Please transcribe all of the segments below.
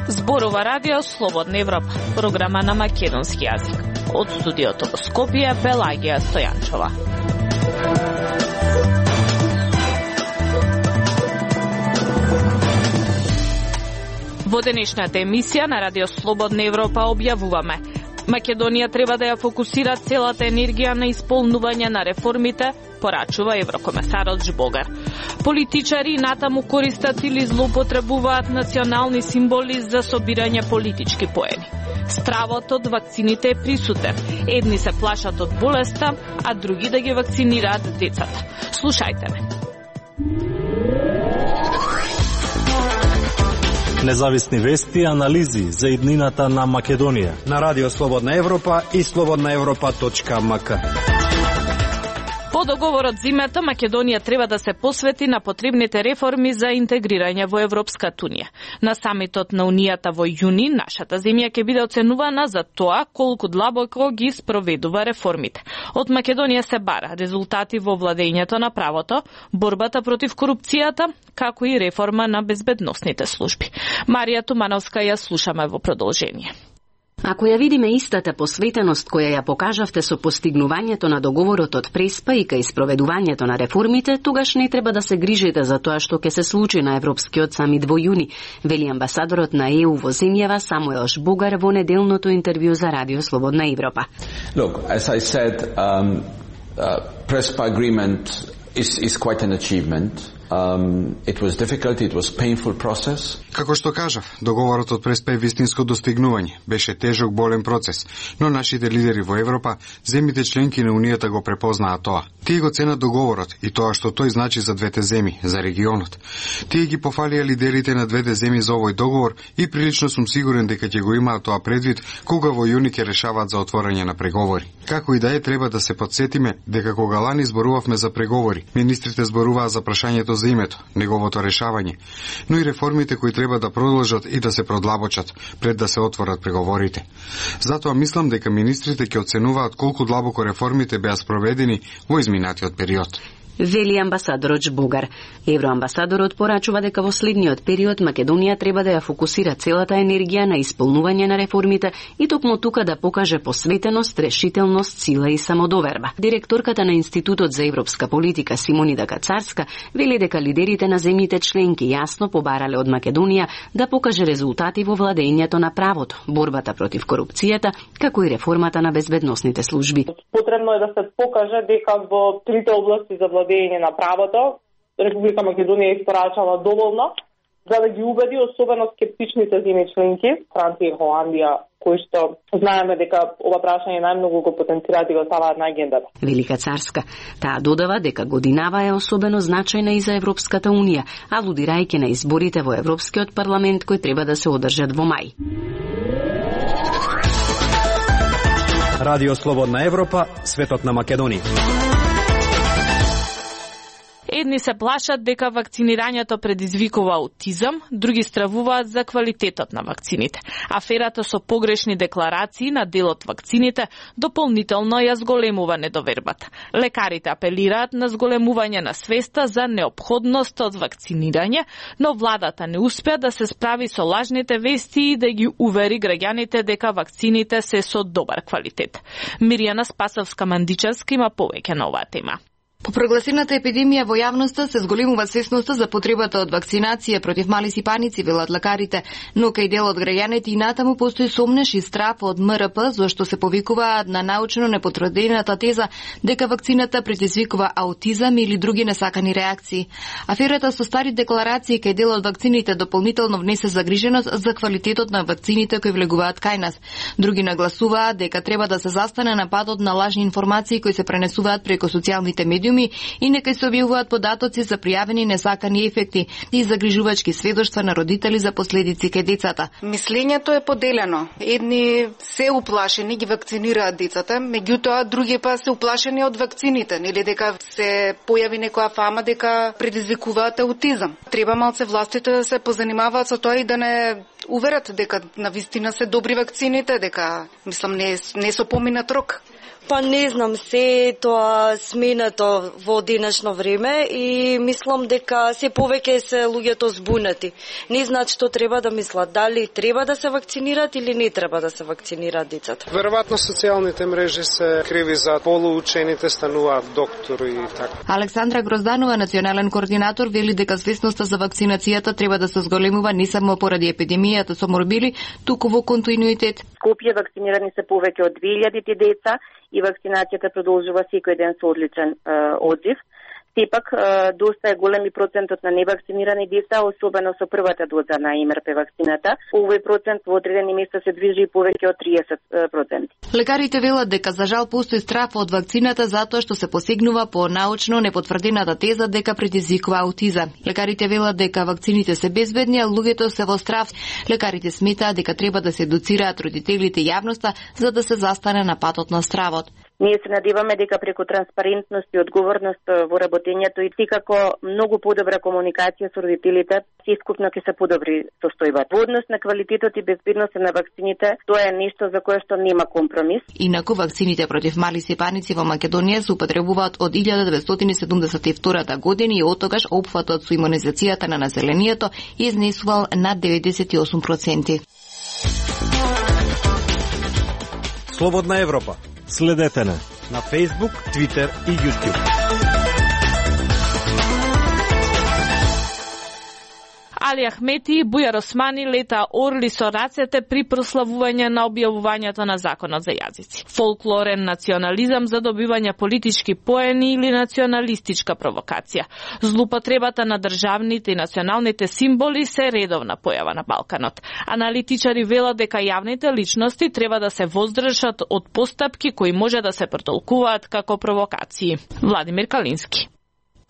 Зборува Радио Слободна Европа, програма на македонски јазик. Од студиото во Скопје, Пелагија Стојанчова. Во денешната емисија на Радио Слободна Европа објавуваме: Македонија треба да ја фокусира целата енергија на исполнување на реформите, порачува еврокомесарот Жбогар. Политичари натаму користат или злоупотребуваат национални символи за собирање политички поени. Стравот од вакцините е присутен. Едни се плашат од болеста, а други да ги вакцинираат децата. Слушајте ме. Независни вести и анализи за иднината на Македонија на Радио Слободна Европа и slobodnaevropa.mk. По договорот зимето, Македонија треба да се посвети на потребните реформи за интегрирање во Европската унија. На самитот на Унијата во јуни, нашата земја ќе биде оценувана за тоа колку длабоко ги спроведува реформите. Од Македонија се бара резултати во владењето на правото, борбата против корупцијата, како и реформа на безбедносните служби. Марија Тумановска ја слушаме во продолжение. Ако ја видиме истата посветеност која ја покажавте со постигнувањето на договорот од Преспа и кај спроведувањето на реформите, тогаш не треба да се грижите за тоа што ќе се случи на Европскиот самит во јуни, вели амбасадорот на ЕУ во земјава Самуел Жбогар во неделното интервју за Радио Слободна Европа. Look, as I said, Prespa agreement is quite an achievement. It was difficult, it was painful process. Како што кажав, договорот од Преспа е вистинско достигнување. Беше тежок, болен процес, но нашите лидери во Европа, земјите членки на Унијата го препознаат тоа. Тие го ценат договорот и тоа што тој значи за двете земји, за регионот. Тие ги пофалија лидерите на двете земји за овој договор и прилично сум сигурен дека ќе го имаат тоа предвид кога во јуни ќе решаваат за отворање на преговори. Како и да е, треба да се потсетиме дека кога лани зборувавме за преговори, министрите зборуваа за прашањето за името, неговото решавање, но и реформите кои треба да продолжат и да се продлабочат пред да се отворат преговорите. Затоа мислам дека министрите ќе оценуваат колку длабоко реформите беа спроведени во изминатиот период. Вели амбасадорот Жбогар. Евроамбасадорот порачува дека во следниот период Македонија треба да ја фокусира целата енергија на исполнување на реформите и токму тука да покаже посветеност, решителност, сила и самодоверба. Директорката на Институтот за европска политика Симонида Кацарска вели дека лидерите на земјите членки јасно побарале од Македонија да покаже резултати во владењето на правото, борбата против корупцијата, како и реформата на безбедносните служби. Потребно е да се покаже дека во трите области за владење на правото Република Македонија испорачала доволно за да ги убеди особено скептичните земји членки, Франција и Холандија, кои што знаеме дека ова прашање најмногу го потенцираат и го ставаат на агендата. Велика Царска. Таа додава дека годинава е особено значајна и за Европската унија, алудирајќи на изборите во Европскиот парламент кои треба да се одржат во мај. Радио Слободна Европа, светот на Македонија. Едни се плашат дека вакцинирањето предизвикува аутизам, други стравуваат за квалитетот на вакцините. Аферата со погрешни декларации на дел од вакцините дополнително ја зголемува недовербата. Лекарите апелираат на зголемување на свеста за неопходност од вакцинирање, но владата не успеа да се справи со лажните вести и да ги увери граѓаните дека вакцините се со добар квалитет. Мирјана Спасовска-Мандичевска има повеќе на оваа тема. По прогласената епидемија во јавноста се зголемува свесноста за потребата од вакцинација против мали сипаници, велат лекарите, но кај дел од граѓаните и натаму постои сомнеш и страв од МРП, зашто се повикуваат на научно непотврдената теза дека вакцината предизвикува аутизам или други несакани реакции. Аферата со стари декларации кај дел од вакцините дополнително внесе загриженост за квалитетот на вакцините кои влегуваат кај нас. Други нагласуваат дека треба да се застане на патот на лажни информации кои се пренесуваат преку социјалните медиуми и нека се објавуваат податоци за пријавени несакани ефекти и загрижувачки сведоштва на родители за последици кај децата. Мислењето е поделено. Едни се уплашени, ги вакцинираат децата, меѓутоа други па се уплашени од вакцините, нели дека се појави некоја фама дека предизвикуваат аутизам. Треба малце властите да се позанимаваат со тоа и да не уверат дека навистина се добри вакцините, дека мислам не со поминат рок. Па не знам, се тоа сменето во денешно време и мислам дека се повеќе се луѓето збунети. Не знаат што треба да мислат, дали треба да се вакцинират или не треба да се вакцинираат децата. Веројатно социјалните мрежи се криви за полуучените стануваат доктори и така. Александра Грозданова, национален координатор, вели дека свесноста за вакцинацијата треба да се зголемува не само поради епидемијата со морбили, туку во континуитет. Скопје вакцинирани се повеќе од 2000 деца и вакцинацијата продолжува секој ден со одличен одзив. Сепак, доста е голем и процентот на невакцинирани деца, особено со првата доза на МРП вакцината. Овој процент во одредени места се движи и повеќе од 30%. Лекарите велат дека за жал постои страф од вакцината затоа што се посегнува по научно непотврдената теза дека предизвикува аутизам. Лекарите велат дека вакцините се безбедни, а луѓето се во страф. Лекарите сметаат дека треба да се едуцираат родителите и јавноста за да се застане на патот на стравот. Ние се надеваме дека преку транспарентност и одговорност во работењето и секако многу подобра комуникација со родителите, сескупно ќе се подобри состојбата. Во однос на квалитетот и безбедноста на вакцините, тоа е нешто за кое што нема компромис. Инаку вакцините против мали сепаници во Македонија се употребуваат од 1972 година и оттогаш опфатот со имунизацијата на населението изнесувал над 98%. Слободна Европа. Следете на Facebook, Twitter и YouTube. Али Ахмети и Бујар Османи лета орли со рацете при прославување на објавувањето на законот за јазици. Фолклорен национализам за добивање политички поени или националистичка провокација. Злупотребата на државните и националните символи се редовна појава на Балканот. Аналитичари велат дека јавните личности треба да се воздржат од постапки кои може да се претолкуваат како провокации. Владимир Калински.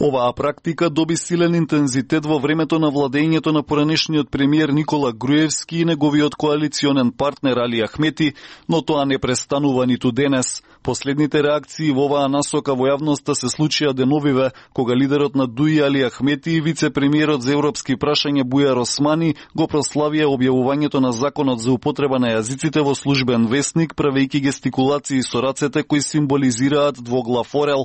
Оваа практика доби силен интензитет во времето на владењето на поранешниот премиер Никола Груевски и неговиот коалиционен партнер Али Ахмети, но тоа не престанува ниту денес. Последните реакции во оваа насока во јавноста се случија деновиве, кога лидерот на ДУИ Али Ахмети и вице-премиерот за европски прашања Бујар Османи го прославија објавувањето на законот за употреба на јазиците во службен весник, правејќи гестикулации со рацете кои символизираат двоглав орел.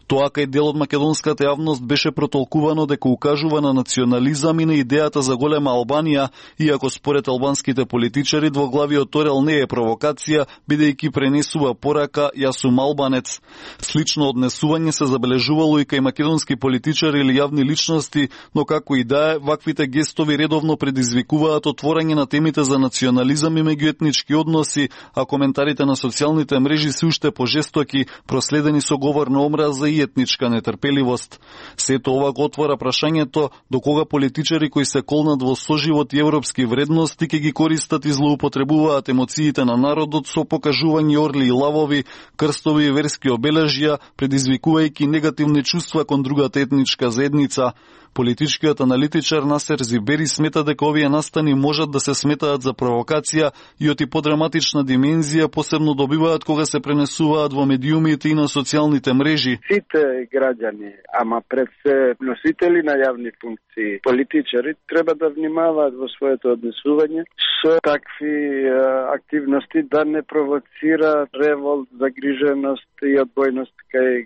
Тоа кај дел од македонската јавност беше протолкувано дека укажува на национализам и на идејата за голема Албанија, иако според албанските политичари двоглавиот орел не е провокација, бидејќи пренесува порака јас сум албанец. Слично однесување се забележувало и кај македонски политичари или јавни личности, но како и да е, ваквите гестови редовно предизвикуваат отворање на темите за национализам и меѓуетнички односи, а коментарите на социјалните мрежи се уште пожестоки, проследени со говор на омраза и етничка нетрпеливост. Сето ова го отвора прашањето до кога политичари кои се колнат во соживот и европски вредности ќе ги користат и злоупотребуваат емоциите на народот со покажување орли и лавови, крстови и верски обележја, предизвикувајќи негативни чувства кон другата етничка заедница. Политичкиот аналитичар Насер Зибери смета дека овие настани можат да се сметаат за провокација и од и подраматична димензија посебно добиваат кога се пренесуваат во медиумите и на социјалните мрежи. Сите граѓани, ама пред се носители на јавни функции, политичари, треба да внимаваат во своето однесување со такви активности да не провоцира револт, загриженост и одбојност кај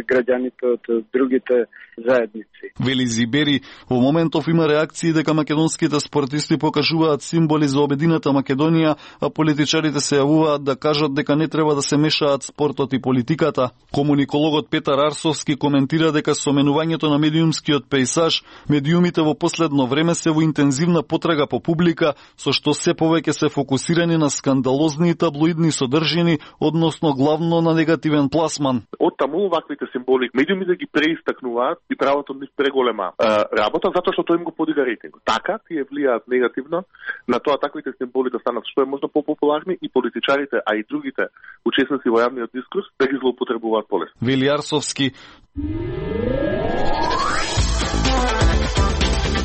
граѓаните од другите заедници. Вели Зибери, во моментов има реакции дека македонските спортисти покажуваат символи за обедината Македонија, а политичарите се јавуваат да кажат дека не треба да се мешаат спортот и политиката. Комуникологот Петар Арсовски коментира дека со менувањето на медиумскиот пејсаж, медиумите во последно време се во интензивна потрага по публика, со што се повеќе се фокусирани на скандалозни и таблоидни содржини, односно главно на негативен пласман. Од таму ваквите символи медиумите ги преистакнуваат и прават од нив преголема работа, затоа што тој им го подига рейтинг. Така тие влијаат негативно на тоа таквите символи да станат што е можно популарни и политичарите, а и другите учесници во јавниот дискурс да ги злоупотребуваат полесно. Вели Арсовски.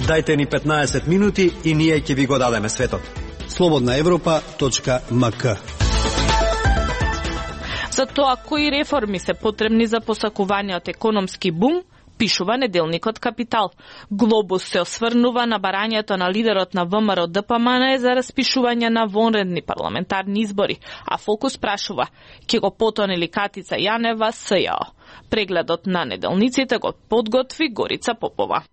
Дајте ни 15 минути и ние ќе ви го дадеме светот. slobodnaevropa.mk. За тоа кои реформи се потребни за посакуваниот економски бум, пишува неделникот Капитал. Глобус се осврнува на барањето на лидерот на ВМРО ДПМН за распишување на вонредни парламентарни избори, а Фокус прашува: ќе го потоне ли Катица Јанева СЈО? Прегледот на неделниците го подготви Горица Попова.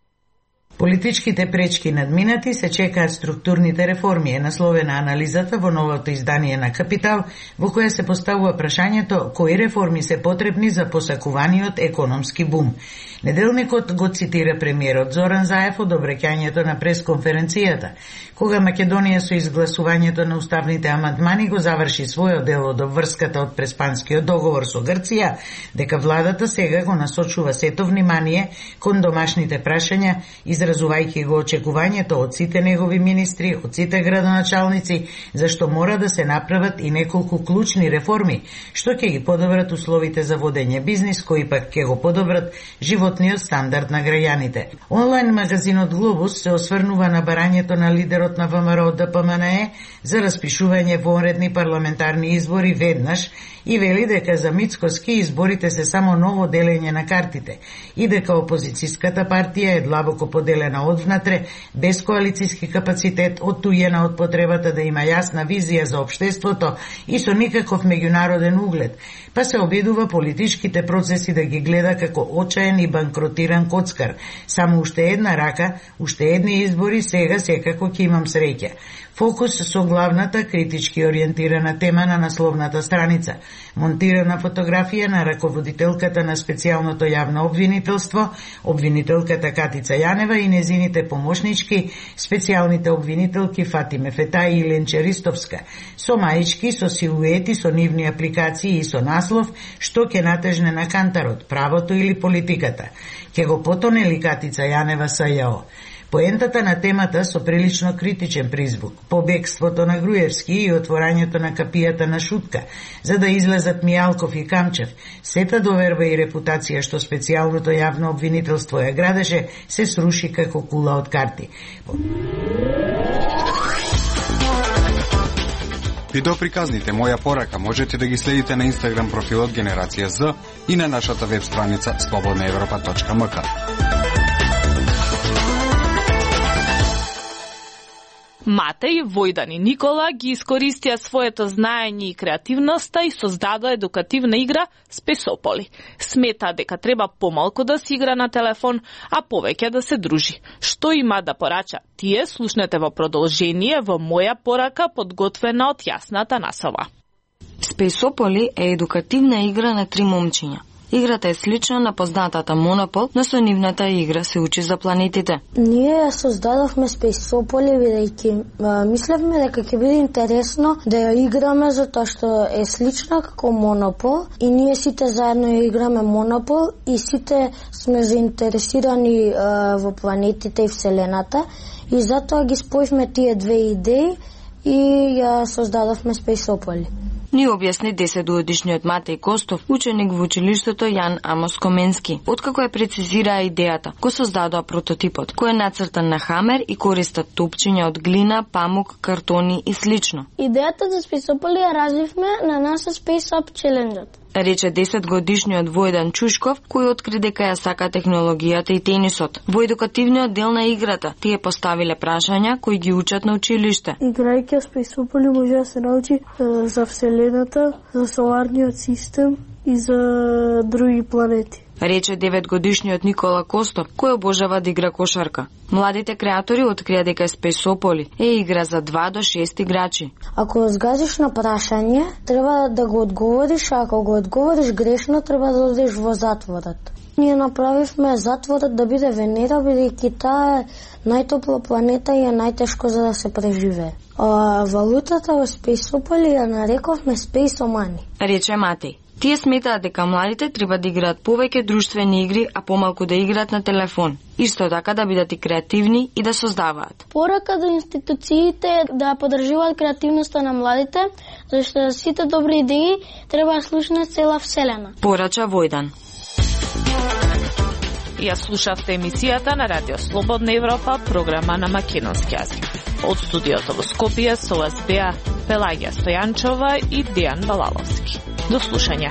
Политичките пречки надминати, се чекаат структурните реформи, е насловена анализата во новото издание на Капитал, во која се поставува прашањето кои реформи се потребни за посакуваниот економски бум. Неделникот го цитира премиерот Зоран Заев од обраќањето на пресконференцијата, кога Македонија со изгласувањето на уставните амандмани го заврши својот дел од обврската од Преспанскиот договор со Грција, дека владата сега го насочува сето внимание кон домашните прашања, изразувајќи го очекувањето од сите негови министри, од сите градоначалници, зашто мора да се направат и неколку клучни реформи, што ќе ги подобрат условите за водење бизнис, кои пак ќе го подобрат животниот стандард на граѓаните. Онлайн магазинот Глобус се осврнува на барањето на лидерот на ВМРО ДПМН за распишување вонредни парламентарни избори веднаш и вели дека за Мицкоски изборите се само ново делење на картите и дека опозицијската партија е длабоко поделена одвнатре, без коалицијски капацитет, оттујена од потребата да има јасна визија за општеството и со никаков меѓународен углед, па се обидува политичките процеси да ги гледа како очаен и банкротиран коцкар. Само уште една рака, уште едни избори, сега секако ќе имам среќа. Фокус со главната критички ориентирана тема на насловната страница. Монтирана фотографија на раководителката на специјалното јавно обвинителство, обвинителката Катица Јанева и незините помошнички, специјалните обвинителки Фатиме Фетај и Ленче Ристовска, со маички, со силуети, со нивни апликации и со наслов што ќе натежне на кантарот, правото или политиката. Ќе го потоне ли Катица Јанева СЈО? Поентата на темата со прилично критичен призвук, побегството на Груевски и отворањето на капијата на Шутка, за да излезат Мијалков и Камчев, сета доверба и репутација што специјалното јавно обвинителство ја градеше, се сруши како кула од карти. Видеоприказните Моја порака можете да ги следите на Инстаграм профилот Генерација З и на нашата веб страница slobodnaevropa.mk. Матеј, Војдан и Никола ги искористија своето знаење и креативноста и создадоа едукативна игра Спесополи. Смета дека треба помалку да се игра на телефон, а повеќе да се дружи. Што има да порача тие, слушнете во продолжение во Моја порака, подготвена од Јасната Насова. Спесополи е едукативна игра на 3 момчиња. Играта е слична на познатата Монопол, но со нивната игра се учи за планетите. Ние ја создадовме Спесополи бидејќи мислевме дека ќе биде интересно да ја играме затоа што е слична како Монопол и ние сите заедно ја играме Монопол и сите сме заинтересирани во планетите и Вселената и затоа ги спојивме тие две идеи и ја создадовме Спесополи. Ни објасни 10-годишниот Матеј Костов, ученик во училиштето Јан Амос Коменски. Откако ја прецизираа идејата, го создадоа прототипот, кој е нацртан на хамер и користат топчиња од глина, памук, картони и слично. Идејата за Спесополи ја развивме на NASA Space Up Challenge-от, рече 10-годишниот Војдан Чушков, кој откри дека ја сака технологијата и тенисот. Во едукативниот дел на играта, тие поставиле прашања кои ги учат на училиште. Играјќи Спесополи може да се научи за Вселената, за соларниот систем и за други планети, рече 9-годишниот Никола Костов, кој обожава да игра кошарка. Младите креатори открија дека Спесополи е игра за 2 до 6 играчи. Ако згазиш на прашање, треба да го одговориш, а ако го одговориш грешно, треба да одиш во затворот. Ние направивме затворот да биде Венера, бидејќи таа е најтопла планета и е најтешко за да се преживее. Валутата во Спесополи ја нарековме Спесомани, рече Матеј. Тие сметаат дека младите треба да играат повеќе друштвени игри, а помалку да играат на телефон. Исто така да бидат и креативни и да создаваат. Порака до институциите е да поддржуваат креативноста на младите, зашто сите добри идеи треба да слушне цела Вселена, порача Војдан. Ја слушавте емисијата на Радио Слободна Европа, програма на македонски јазик. Од студиото во Скопје со вас беа Пелагија Стојанчова и Дејан Балаловски. До слушање.